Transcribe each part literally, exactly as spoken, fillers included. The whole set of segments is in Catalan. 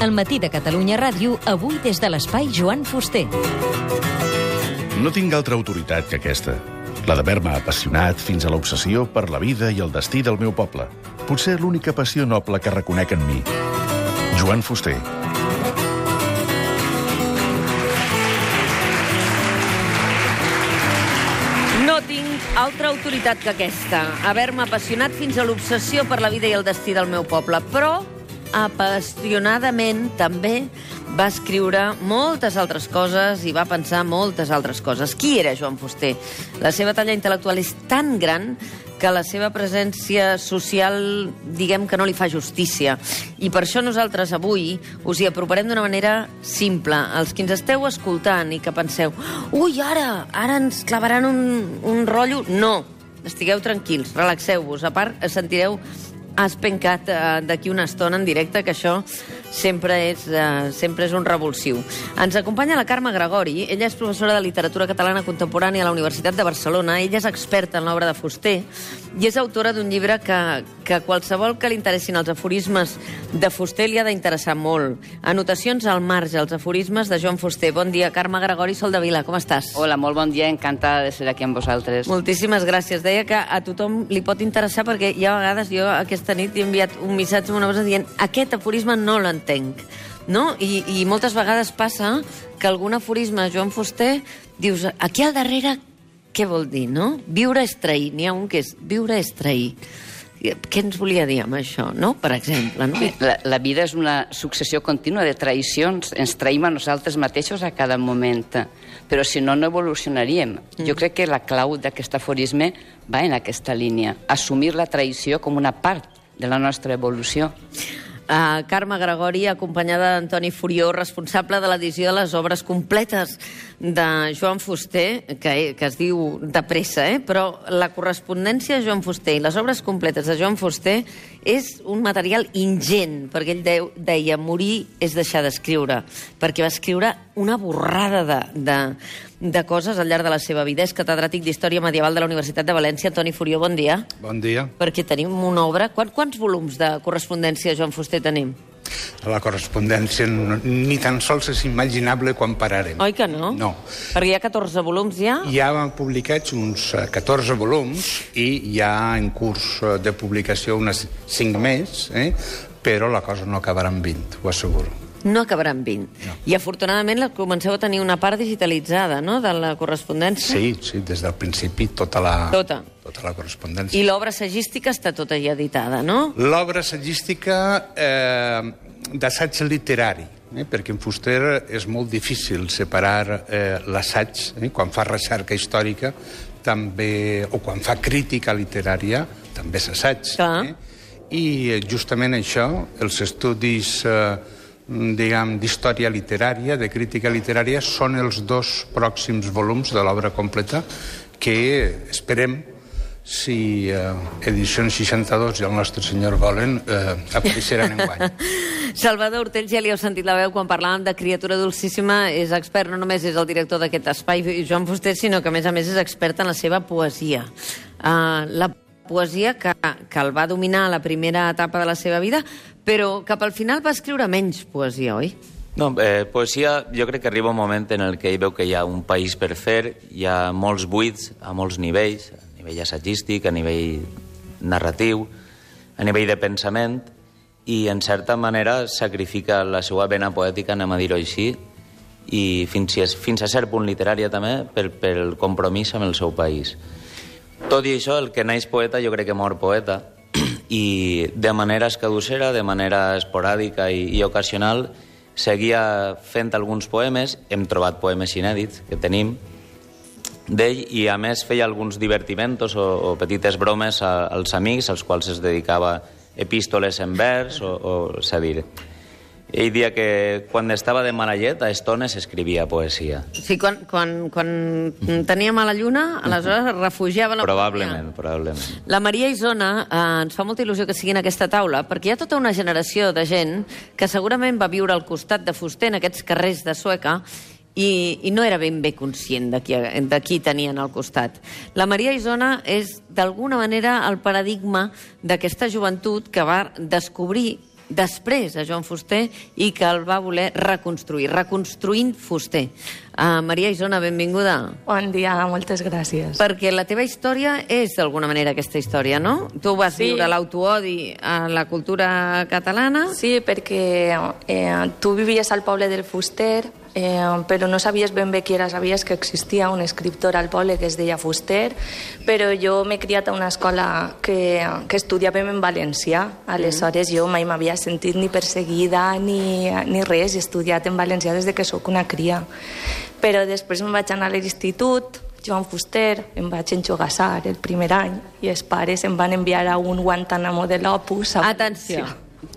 Al matí de Catalunya Ràdio, avui des de l'espai Joan Fuster. No tinc altra autoritat que aquesta, la d'haver-me apassionat fins a l'obsessió per la vida i el destí del meu poble. Potser l'única passió noble que reconec en mi. Joan Fuster. No tinc altra autoritat que aquesta, haver-me apassionat fins a l'obsessió per la vida i el destí del meu poble, però apassionadament també va escriure moltes altres coses i va pensar moltes altres coses. Qui era Joan Fuster? La seva talla intel·lectual és tan gran que la seva presència social, diguem que no li fa justícia. I per això nosaltres avui us hi aproparem d'una manera simple. Els que ens esteu escoltant i que penseu ui, ara, ara ens clavaran un, un rotllo... No, estigueu tranquils, relaxeu-vos. A part, sentireu espencat eh, d'aquí una estona en directe, que això sempre és, eh, sempre és un revulsiu. Ens acompanya la Carme Gregori. Ella és professora de literatura catalana contemporània a la Universitat de Barcelona. Ella és experta en l'obra de Fuster i és autora d'un llibre que, que qualsevol que li interessin els aforismes de Fuster li ha d'interessar molt. Anotacions al marge, els aforismes de Joan Fuster. Bon dia, Carme Gregori, Soldevila, com estàs? Hola, molt bon dia, encantada de ser aquí amb vosaltres. Moltíssimes gràcies. Deia que a tothom li pot interessar perquè hi ha vegades, jo aquesta nit he enviat un missatge a una persona dient aquest aforisme no l'entenc, no? I, I moltes vegades passa que algun aforisme de Joan Fuster dius, aquí al darrere què vol dir, no? Viure és trair. N'hi ha un que és viure és trair. Què ens volia dir amb això, no? Per exemple, no? La, la vida és una successió contínua de traïcions. Ens traïm a nosaltres mateixos a cada moment. Però si no, no evolucionaríem. Mm. Jo crec que la clau d'aquest aforisme va en aquesta línia. Assumir la traïció com una part de la nostra evolució. Uh, Carme Gregori, acompanyada d'Antoni Furió, responsable de l'edició de les obres completes de Joan Fuster, que, que es diu de pressa, eh? Però la correspondència de Joan Fuster i les obres completes de Joan Fuster és un material ingent, perquè ell deu, deia morir és deixar d'escriure, perquè va escriure una borrada de, de, de coses al llarg de la seva vida. És catedràtic d'Història Medieval de la Universitat de València. Antoni Furió, bon dia. Bon dia. Perquè tenim una obra... Quants, quants volums de correspondència de Joan Fuster tenim? La correspondència no, ni tan sols és imaginable quan pararem. Oi que no? No. Perquè hi ha catorze volums ja? Ja han publicats uns catorze volums i hi ha en curs de publicació unes cinc més, eh? Però la cosa no acabarà en vint, ho asseguro. No acabarà en vint. No. I afortunadament comenceu a tenir una part digitalitzada, no?, de la correspondència. Sí, sí, des del principi tota la, tota. tota la correspondència. I l'obra sagística està tota ja editada, no? L'obra sagística eh, d'assaig literari, eh, perquè en Fuster és molt difícil separar eh, l'assaig, eh, quan fa recerca històrica, també, o quan fa crítica literària, també és assaig. Eh? I eh, justament això, els estudis... Eh, diguem, d'història literària, de crítica literària, són els dos pròxims volums de l'obra completa que esperem, si eh, Edicions seixanta-dos i el Nostre Senyor volen, eh, apareixeran enguany. Salvador Ortells, ja li heu sentit la veu quan parlàvem de Criatura Dulcíssima, és expert, no només és el director d'aquest espai, Joan Fuster, sinó que a més a més és expert en la seva poesia. Uh, la poesia que, que el va dominar a la primera etapa de la seva vida, però cap al final va escriure menys poesia, oi? No, eh, poesia jo crec que arriba un moment en el que ell veu que hi ha un país per fer, hi ha molts buits a molts nivells, a nivell assagístic, a nivell narratiu, a nivell de pensament, i en certa manera sacrifica la seva vena poètica, anem a dir-ho així, i fins, fins a cert punt literària també, pel, pel compromís amb el seu país. Tot i això, el que naix poeta jo crec que mor poeta, i de manera escadussera, de manera esporàdica i, i ocasional, seguia fent alguns poemes, hem trobat poemes inèdits que tenim d'ell, i a més feia alguns divertimentos o, o petites bromes a, als amics, als quals es dedicava epístoles en vers, o, o és a dir... Ell dia que quan estava de mala llet, a estones escrivia poesia. Sí, quan, quan, quan tenia mala lluna, aleshores es refugiava la probablement, poesia. Probablement. La Maria Isona eh, ens fa molta il·lusió que sigui en aquesta taula, perquè hi ha tota una generació de gent que segurament va viure al costat de Fuster en aquests carrers de Sueca i, i no era ben bé conscient de qui, de qui tenien al costat. La Maria Isona és, d'alguna manera, el paradigma d'aquesta joventut que va descobrir després a Joan Fuster i que el va voler reconstruir, reconstruint Fuster. Uh, Maria Isona, benvinguda. Bon dia, moltes gràcies. Perquè la teva història és d'alguna manera aquesta història, no? Tu vas sí. viure l'autoodi a la cultura catalana. Sí, perquè eh, tu vivies al poble del Fuster, eh, però no sabies ben bé qui era, sabies que existia un escriptor al poble que es deia Fuster, però jo m'he criat a una escola que, que estudiàvem en valencià, aleshores jo mai m'havia sentit ni perseguida ni, ni res, he estudiat en valencià des de que sóc una cria. Però després em vaig anar a l'institut, Joan Fuster, em vaig enjogassar el primer any i els pares em van enviar a un Guantánamo de l'Opus. Atenció,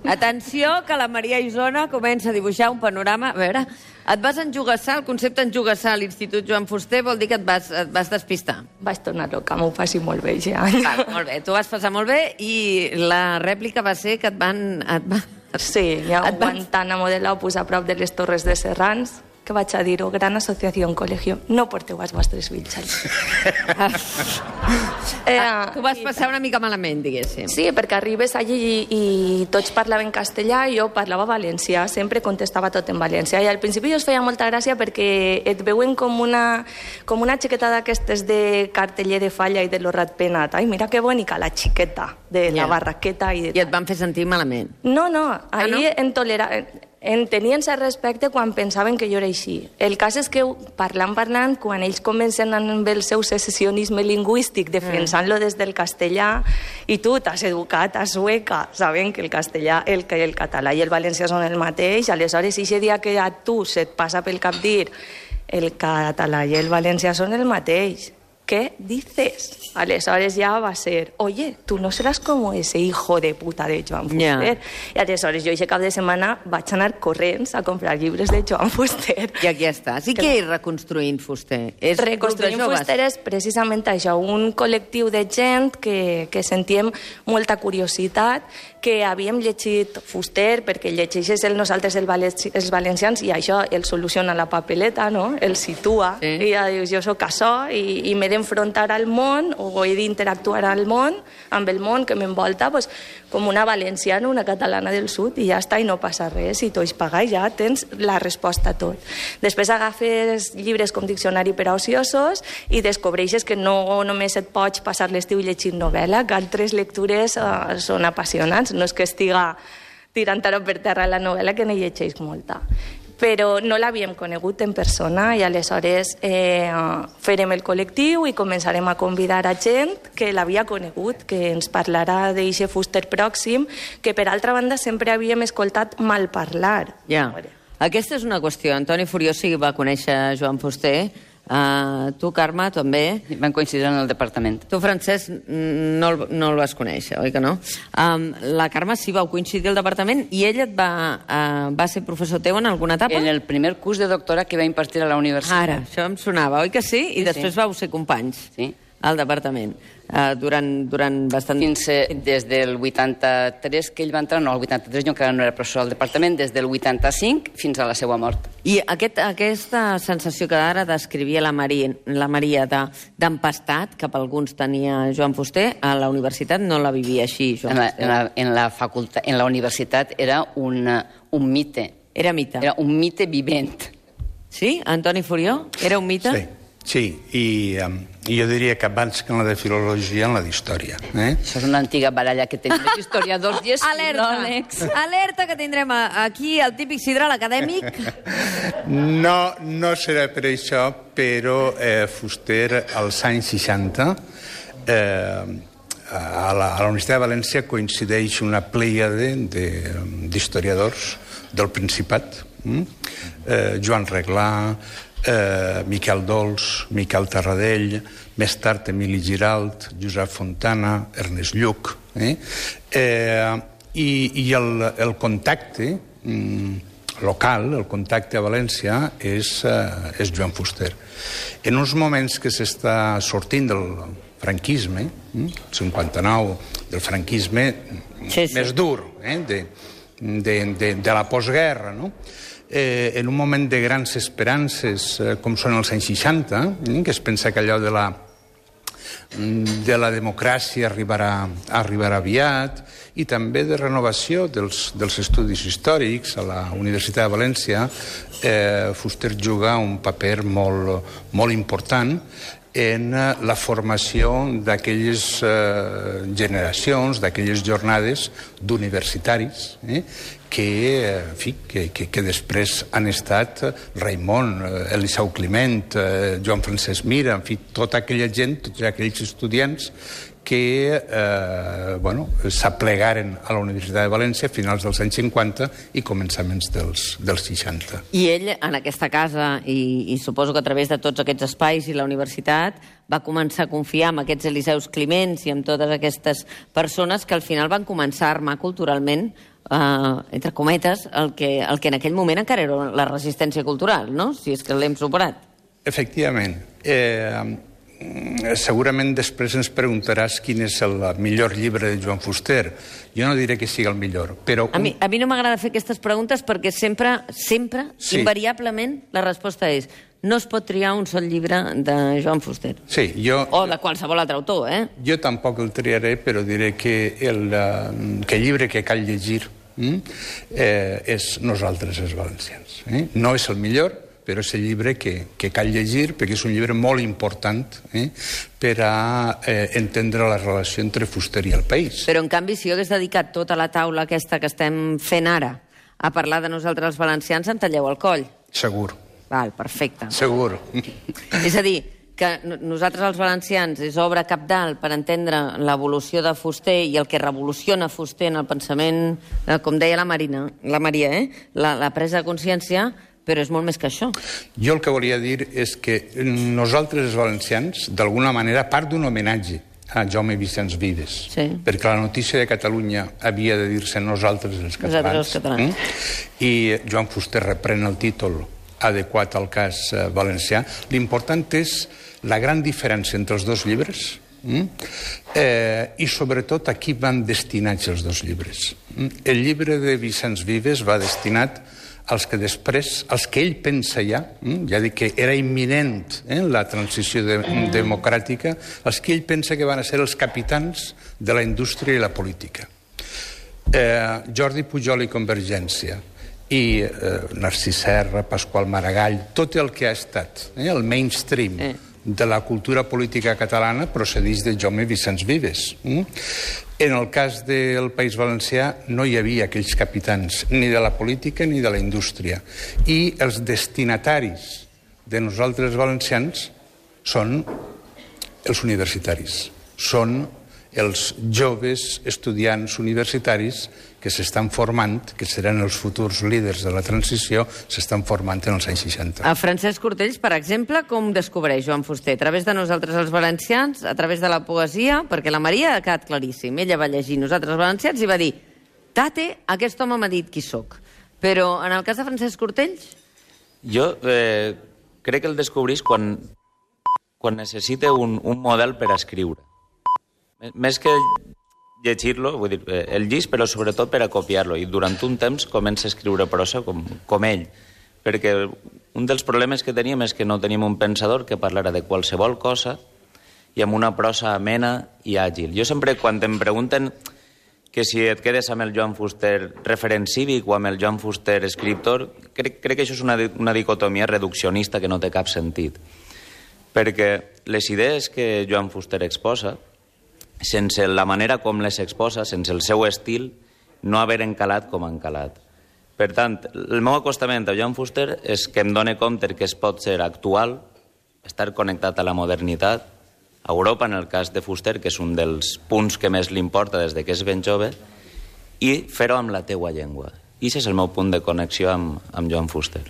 atenció, que la Maria Isona comença a dibuixar un panorama. A veure, et vas enjogassar, el concepte enjogassar a l'Institut Joan Fuster vol dir que et vas, et vas despistar. Vaig tornar loca, m'ho passi molt bé ja. Va, molt bé, tu vas passar molt bé i la rèplica va ser que et van... Et va... Sí, hi ha un Guantánamo de l'Opus a prop de les Torres de Serrans, que vaig a dir-ho, gran associació, col·legio, no porteu els vostres fills allà. eh, ah, tu vas passar una mica malament, diguéssim. Sí, perquè arribes allí i, i tots parlaven castellà i jo parlava valencià, sempre contestava tot en valencià, i al principi us feia molta gràcia perquè et veuen com una, com una xiqueta d'aquestes de carteller de falla i de l'Orrat Penat. Ai, mira que bonica la xiqueta de la yeah. barraqueta. I, de... I et van fer sentir malament? No, no, ahir ah, no? en tolera... En tenien cert respecte quan pensaven que jo era així. El cas és que, parlant, parlant, quan ells comencen amb el seu secessionisme lingüístic, defensant-lo des del castellà, i tu t'has educat a Sueca, sabent que el castellà, el, que el català i el valencià són el mateix, aleshores, i aquest dia que a tu se't passa pel cap dir el català i el valencià són el mateix, ¿qué dices? Aleshores ja va ser, oye, tu no seràs com ese hijo de puta de Joan Fuster. Yeah. I aleshores jo aquest cap de setmana vaig anar corrents a comprar llibres de Joan Fuster. I aquí està. Sí que és Reconstruint Fuster. És Reconstruint Fuster és precisament això, un col·lectiu de gent que, que sentíem molta curiositat, que havíem llegit Fuster, perquè llegeixes el nosaltres el valenci, els valencians i això el soluciona la papeleta, no? El situa. Sí. I ja dius, jo soc això i, i m'he d'enfrontar al món o he d'interactuar al món, amb el món que m'envolta, pues, com una valenciana, una catalana del sud, i ja està, i no passa res, i tots pagar, ja tens la resposta a tot. Després agafes llibres com Diccionari per a ociosos i descobreixes que no només et pots passar l'estiu llegint novel·la, que altres lectures uh, són apassionants, no és que estiga tirant ara per terra la novel·la, que ne llegeix molta. Però no l'havíem conegut en persona i aleshores eh, farem el col·lectiu i començarem a convidar a gent que l'havia conegut, que ens parlarà d'eixe Fuster pròxim, que per altra banda sempre havíem escoltat mal parlar. Ja, aquesta és una qüestió. Antoni Furió sí va conèixer Joan Fuster. Uh, tu, Carme, també. Van coincidir en el departament. Tu, Francesc, no el, no el vas conèixer, oi que no? Um, la Carme sí vau coincidir al departament i ella et va, uh, va ser professor teu en alguna etapa? En el primer curs de doctorat que va impartir a la universitat. Ara, això em sonava, oi que sí? I sí, després sí. vau ser companys. Sí. Al departament, uh, durant, durant bastant... Fins eh, des del vuitanta-tres que ell va entrar, no, el vuitanta-tres jo encara no era professor al departament, des del vuitanta-cinc fins a la seva mort. I aquest, aquesta sensació que ara descrivia la Maria, la Maria d'empastat, que per alguns tenia Joan Fuster, a la universitat no la vivia així, Joan en la, Fuster. En la, en la, facultat, en la universitat era un, un mite. Era mite. Era un mite vivent. Sí? Antoni Furió? Era un mite? Sí. Sí, i um, jo diria que abans que en la de filologia, en la d'història. Eh? Això és una antiga baralla que tenim els historiadors i els Alerta. filòlegs. Alerta, que tindrem aquí el típic sidral acadèmic. No, no serà per això, però eh, Fuster, als anys seixanta, eh, a la, a la Universitat de València coincideix una plèiade d'historiadors del Principat. Mm? Eh, Joan Reglà, Eh, Miquel Dols, Miquel Tarradell, més tard Emili Giralt, Josep Fontana, Ernest Lluch. Eh? Eh, I i el, el contacte mm, local, el contacte a València, és, eh, és Joan Fuster. En uns moments que s'està sortint del franquisme, mm, cinquanta-nou, del franquisme sí, sí. més dur, eh, de, de, de, de la postguerra, no? Eh, en un moment de grans esperances, eh, com són els anys seixanta, eh, que es pensa que allò de la, de la democràcia arribarà, arribarà aviat, i també de renovació dels, dels estudis històrics. A la Universitat de València eh, Fuster juga un paper molt, molt important en la formació d'aquelles eh, generacions, d'aquelles jornades d'universitaris, eh, que, en fi, que, que, que després han estat Raimon, Eliseu Climent, eh, Joan Francesc Mira, en fi, tota aquella gent, tots aquells estudiants que eh, bueno, s'aplegaren a la Universitat de València a finals dels anys cinquanta i començaments dels, dels seixanta. I ell, en aquesta casa, i, i suposo que a través de tots aquests espais i la universitat, va començar a confiar en aquests Eliseus Climents i en totes aquestes persones que al final van començar a armar culturalment, eh, entre cometes, el que, el que en aquell moment encara era la resistència cultural, no? Si és que l'hem superat. Efectivament. Eh, segurament després ens preguntaràs quin és el millor llibre de Joan Fuster. Jo no diré que sigui el millor, però... A mi, a mi no m'agrada fer aquestes preguntes perquè sempre, sempre, sí. invariablement, la resposta és no es pot triar un sol llibre de Joan Fuster. Sí, jo... O de qualsevol altre autor, eh? Jo tampoc el triaré, però diré que el, que el llibre que cal llegir eh, és Nosaltres els valencians. Eh? No és el millor, però és el llibre que, que cal llegir, perquè és un llibre molt important eh, per a eh, entendre la relació entre Fuster i el país. Però, en canvi, si jo hagués dedicat tota la taula aquesta que estem fent ara a parlar de Nosaltres els valencians, em talleu el coll. Segur. Val, perfecte. Segur. És a dir, que Nosaltres els valencians és obra cabdal per entendre l'evolució de Fuster i el que revoluciona Fuster en el pensament, com deia la Marina, la Maria, eh? la, la presa de consciència, però és molt més que això. Jo el que volia dir és que Nosaltres els valencians, d'alguna manera, part d'un homenatge a Jaume Vicenç Vives, sí. perquè la notícia de Catalunya havia de dir-se Nosaltres els catalans, Nosaltres els catalans. Eh? I Joan Fuster reprèn el títol adequat al cas eh, valencià. L'important és la gran diferència entre els dos llibres mm? eh, i sobretot a qui van destinats els dos llibres. Mm? El llibre de Vicenç Vives va destinat als que després, als que ell pensa ja, ja dic que era imminent eh, la transició de, democràtica, als que ell pensa que van a ser els capitans de la indústria i la política. Eh, Jordi Pujol i Convergència, i eh, Narcís Serra, Pasqual Maragall, tot el que ha estat eh, el mainstream eh. de la cultura política catalana procedeix de Jaume Vicenç Vives. Mm? En el cas del País Valencià no hi havia aquells capitans ni de la política ni de la indústria. I els destinataris de Nosaltres valencians són els universitaris. Són els joves estudiants universitaris que s'estan formant, que seran els futurs líders de la transició, s'estan formant en els anys seixanta. A Francesc Cortells, per exemple, com descobreix Joan Fuster? A través de Nosaltres els valencians, a través de la poesia, perquè la Maria ha quedat claríssim. Ella va llegir Nosaltres els valencians i va dir «Tate, aquest home m'ha dit qui sóc». Però en el cas de Francesc Cortells? Jo eh, crec que el descobrís quan, quan necessita un, un model per escriure. Més que llegir-lo, vull dir, el llis, però sobretot per a copiar-lo. I durant un temps comença a escriure prosa com, com ell. Perquè un dels problemes que teníem és que no teníem un pensador que parlara de qualsevol cosa i amb una prosa amena i àgil. Jo sempre, quan em pregunten que si et quedes amb el Joan Fuster referent cívic o amb el Joan Fuster escriptor, crec, crec que això és una, una dicotomia reduccionista que no té cap sentit. Perquè les idees que Joan Fuster exposa, sense la manera com les exposa, sense el seu estil, no haver encalat com han calat. Per tant, el meu acostament a Joan Fuster és que em dóna compte que es pot ser actual, estar connectat a la modernitat, a Europa, en el cas de Fuster, que és un dels punts que més li importa des de que és ben jove, i fer-ho amb la teua llengua. I aquest és el meu punt de connexió amb, amb Joan Fuster.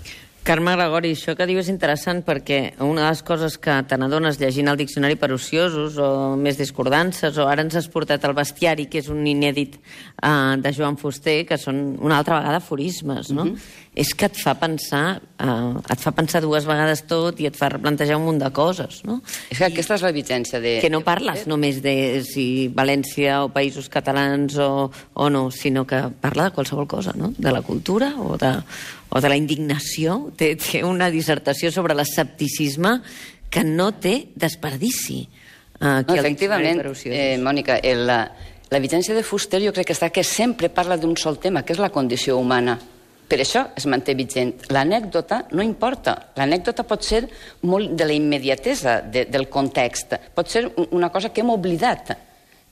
Carme Gregori, això que diu és interessant perquè una de les coses que te n'adones llegint el diccionari per ociosos o més discordances, o ara ens has portat el bestiari, que és un inèdit uh, de Joan Fuster, que són una altra vegada aforismes, no? Mm-hmm. És que et fa pensar uh, et fa pensar dues vegades tot i et fa replantejar un munt de coses, no? És que aquesta és la vigència de... Que no parles només de si València o Països Catalans o, o no, sinó que parla de qualsevol cosa, no? De la cultura o de, o de la indignació. Té, té una dissertació sobre l'escepticisme que no té desperdici. aquí no, al efectivament, Diccionari per eh, Mònica, el, la, la vigència de Fuster jo crec que està que sempre parla d'un sol tema, que és la condició humana. Per això es manté vigent. L'anècdota no importa. L'anècdota pot ser molt de la immediatesa de, del context. Pot ser una cosa que hem oblidat,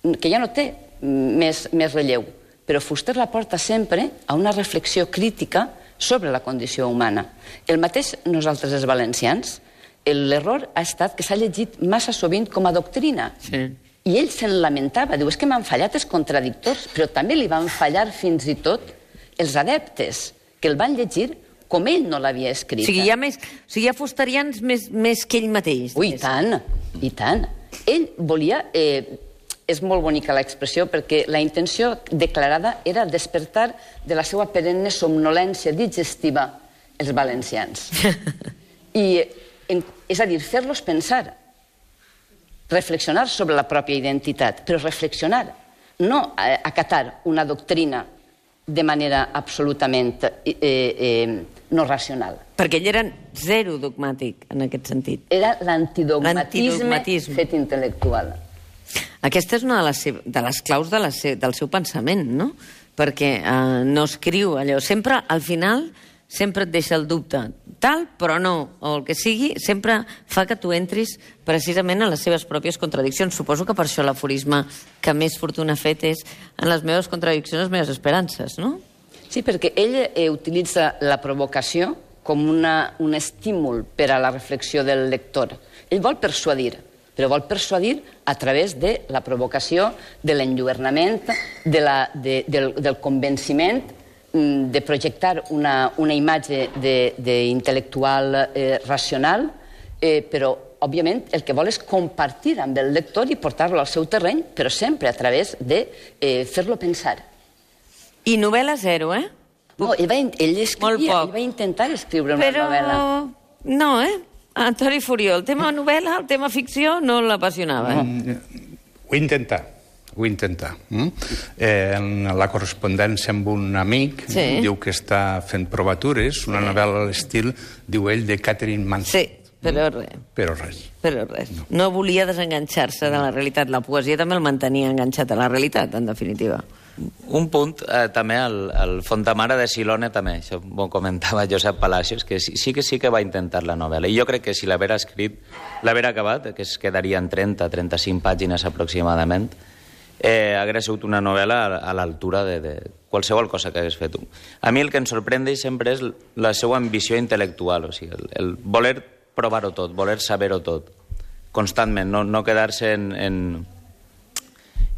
que ja no té més, més relleu. Però Fuster la porta sempre a una reflexió crítica sobre la condició humana. El mateix nosaltres els valencians, l'error ha estat que s'ha llegit massa sovint com a doctrina. Sí. I ell se'n lamentava, diu, és que m'han fallat els contradictors, però també li van fallar fins i tot els adeptes, que el van llegir com ell no l'havia escrit. O sigui, hi ha, més, o sigui, hi ha fusterians més, més que ell mateix. Ui, i tant, i tant. Ell volia... Eh, és molt bonica l'expressió, perquè la intenció declarada era despertar de la seva perenne somnolència digestiva els valencians. I, en, és a dir, fer-los pensar, reflexionar sobre la pròpia identitat, però reflexionar, no acatar una doctrina de manera absolutament eh, eh, no racional. Perquè ell era zero dogmàtic, en aquest sentit. Era l'antidogmatisme L'antidogmatisme. fet intel·lectual. Aquesta és una de les, de les claus de la se, del seu pensament, no? Perquè eh, no escriu allò. Sempre, al final, sempre et deixa el dubte. Tal, però no. O el que sigui, sempre fa que tu entris precisament en les seves pròpies contradiccions. Suposo que per això l'aforisme que més fortuna ha fet és en les meves contradiccions, les meves esperances, no? Sí, perquè ell eh, utilitza la provocació com una, un estímul per a la reflexió del lector. Ell vol persuadir, però vol persuadir a través de la provocació, de l'enlluernament, de la, de, del, del convenciment, de projectar una, una imatge d'intel·lectual eh, racional, eh, però, òbviament, el que vol és compartir amb el lector i portar-lo al seu terreny, però sempre a través de eh, fer-lo pensar. I novel·la zero, eh? No, ell, va, ell escrivia, ell va intentar escriure una però... novel·la. No, eh? Antoni Furió, el tema novel·la, el tema ficció, no l'apassionava. No, ho intenta, ho intenta. Mm? Eh, en la correspondència amb un amic, sí. Diu que està fent provatures, una novel·la a l'estil, diu ell, de Catherine Mansfield. Sí, però res. Però res. Però res. No, no volia desenganxar-se de la realitat. La poesia també el mantenia enganxat a la realitat, en definitiva. Un punt, eh, també, el, el Fontamara de Silone, també, això ho comentava Josep Palacios, que sí, sí que sí que va intentar la novel·la. I jo crec que si l'haver escrit, l'haver acabat, que es quedaria en trenta a trenta-cinc pàgines aproximadament, eh, hagués sigut una novel·la a, a l'altura de, de qualsevol cosa que hagués fet. A mi el que em sorprèn sempre és la seva ambició intel·lectual, o sigui, el, el voler provar-ho tot, voler saber-ho tot, constantment, no, no quedar-se en... en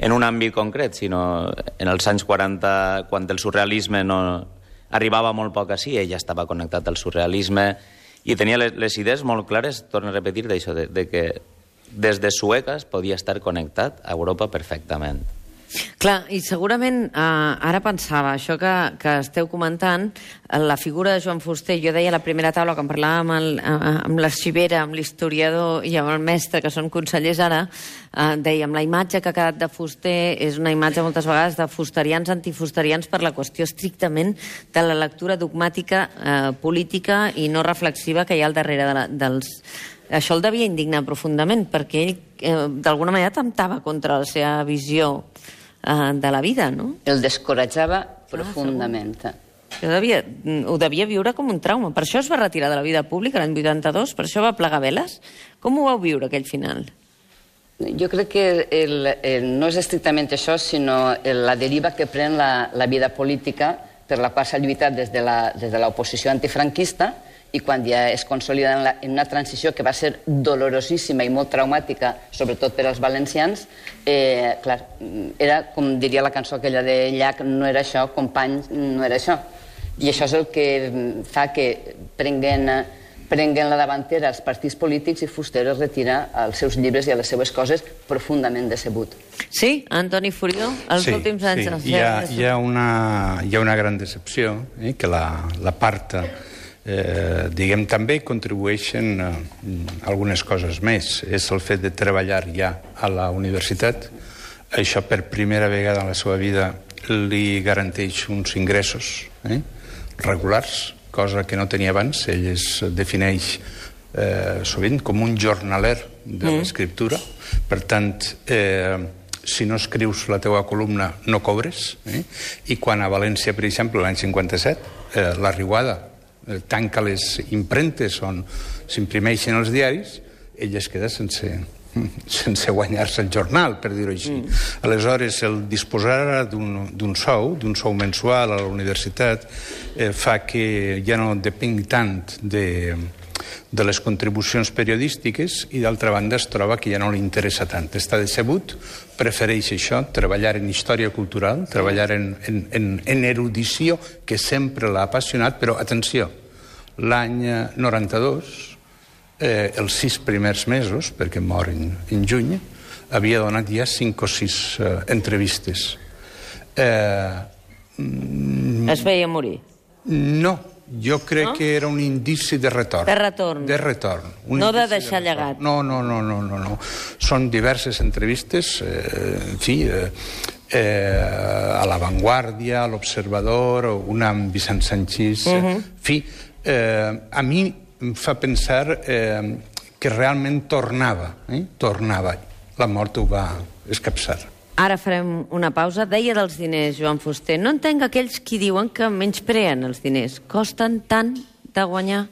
en un àmbit concret, sinó en els anys quaranta, quan el surrealisme no arribava molt poc així, ell ja estava connectat al surrealisme i tenia les, les idees molt clares, torno a repetir, d'això, de, de que des de Sueques podia estar connectat a Europa perfectament. Clar, i segurament, eh, ara pensava, això que, que esteu comentant, la figura de Joan Fuster, jo deia a la primera taula, quan parlàvem amb, el, amb l'arxivera, amb l'historiador i amb el mestre, que són consellers ara, eh, dèiem, la imatge que ha quedat de Fuster és una imatge moltes vegades de fusterians antifusterians per la qüestió estrictament de la lectura dogmàtica eh, política i no reflexiva que hi ha al darrere de la, dels... Això el devia indignar profundament, perquè ell eh, d'alguna manera temptava contra la seva visió de la vida, no? El descoratjava profundament. Ah, devia, ho devia viure com un trauma. Per això es va retirar de la vida pública l'any vuitanta-dos, per això va plegar veles. Com ho vau viure, aquell final? Jo crec que el, el, no és estrictament això, sinó la deriva que pren la, la vida política per la qual s'ha lluitat des de l'oposició antifranquista i quan ja es consolida en, la, en una transició que va ser dolorosíssima i molt traumàtica, sobretot per als valencians, eh, clar, era, com diria la cançó aquella de Llach, no era això, company, no era això. I això és el que fa que prenguen, prenguen la davantera els partits polítics i Fuster es retira als seus llibres i a les seves coses profundament decebut. Sí, Antoni Furió, els sí, últims anys... Sí, hi ha, hi, ha una, hi ha una gran decepció, eh, que la, la part... Eh, diguem, també contribueixen eh, algunes coses més. És el fet de treballar ja a la universitat. Això per primera vegada en la seva vida li garanteix uns ingressos eh, regulars, cosa que no tenia abans. Ell es defineix eh, sovint com un jornaler de mm. l'escriptura. Per tant, eh, si no escrius la teua columna no cobres, eh? I quan a València, per exemple, l'any cinquanta-set, eh, la Riuada eh, tanca les impremtes on s'imprimeixen els diaris, ell es queda sense, sense guanyar-se el jornal, per dir-ho així. Mm. Aleshores, el disposar d'un sou, d'un sou mensual a la universitat, eh, fa que ja no depengui tant de, de les contribucions periodístiques i, d'altra banda, es troba que ja no li interessa tant. Està decebut, prefereix això, treballar en història cultural, treballar en, en, en, en erudició, que sempre l'ha apassionat, però, atenció, l'any noranta-dos, Eh, els sis primers mesos, perquè mor en, en juny, havia donat ja cinc o sis eh, entrevistes. Eh, mm, es veia morir? No, jo crec no? que era un indici de retorn. De retorn. De retorn. Un no de deixar de llegat. No, no, no, no, no, no. Són diverses entrevistes, eh, en fi, eh, eh, a La Vanguardia, a l'Observador, una amb Vicent Sanchís, uh -huh. en fi, eh, a mi em fa pensar eh, que realment tornava, eh? tornava. La mort ho va escapçar. Ara farem una pausa. Deia dels diners, Joan Fuster. No entenc aquells qui diuen que menyspreen els diners. Costen tant de guanyar?